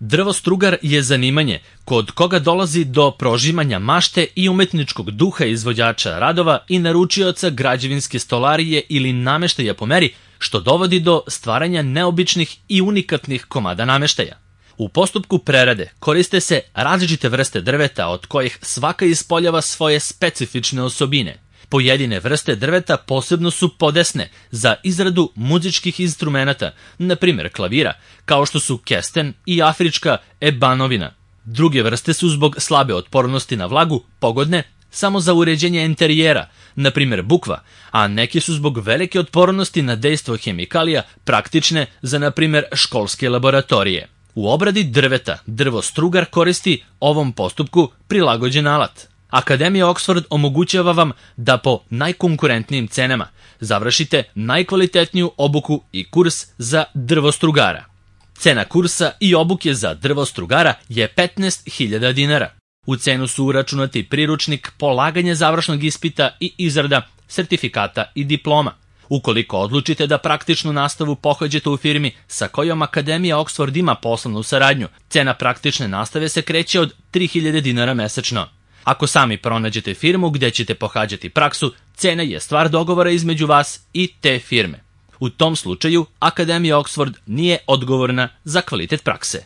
Drvostrugar je zanimanje kod koga dolazi do prožimanja mašte i umetničkog duha izvođača radova i naručioca građevinske stolarije ili nameštaja po meri, što dovodi do stvaranja neobičnih i unikatnih komada nameštaja. U postupku prerade koriste se različite vrste drveta od kojih svaka ispoljava svoje specifične osobine. Pojedine vrste drveta posebno su podesne za izradu muzičkih instrumenata, na primjer klavira, kao što su kesten i afrička ebanovina. Druge vrste su zbog slabe otpornosti na vlagu pogodne samo za uređenje interijera, na primjer bukva, a neki su zbog velike otpornosti na dejstvo hemikalija praktične za, na primjer, školske laboratorije. U obradi drveta drvostrugar koristi ovom postupku prilagođen alat. Akademija Oxford omogućava vam da po najkonkurentnijim cenama završite najkvalitetniju obuku i kurs za drvostrugara. Cena kursa i obuke za drvostrugara je 15.000 dinara. U cenu su uračunati priručnik, polaganje završnog ispita i izrada sertifikata i diploma. Ukoliko odlučite da praktičnu nastavu pohađate u firmi sa kojom Akademija Oxford ima poslovnu saradnju, cena praktične nastave se kreće od 3.000 dinara mesečno. Ako sami pronađete firmu gdje ćete pohađati praksu, cena je stvar dogovora između vas i te firme. U tom slučaju Akademija Oxford nije odgovorna za kvalitet prakse.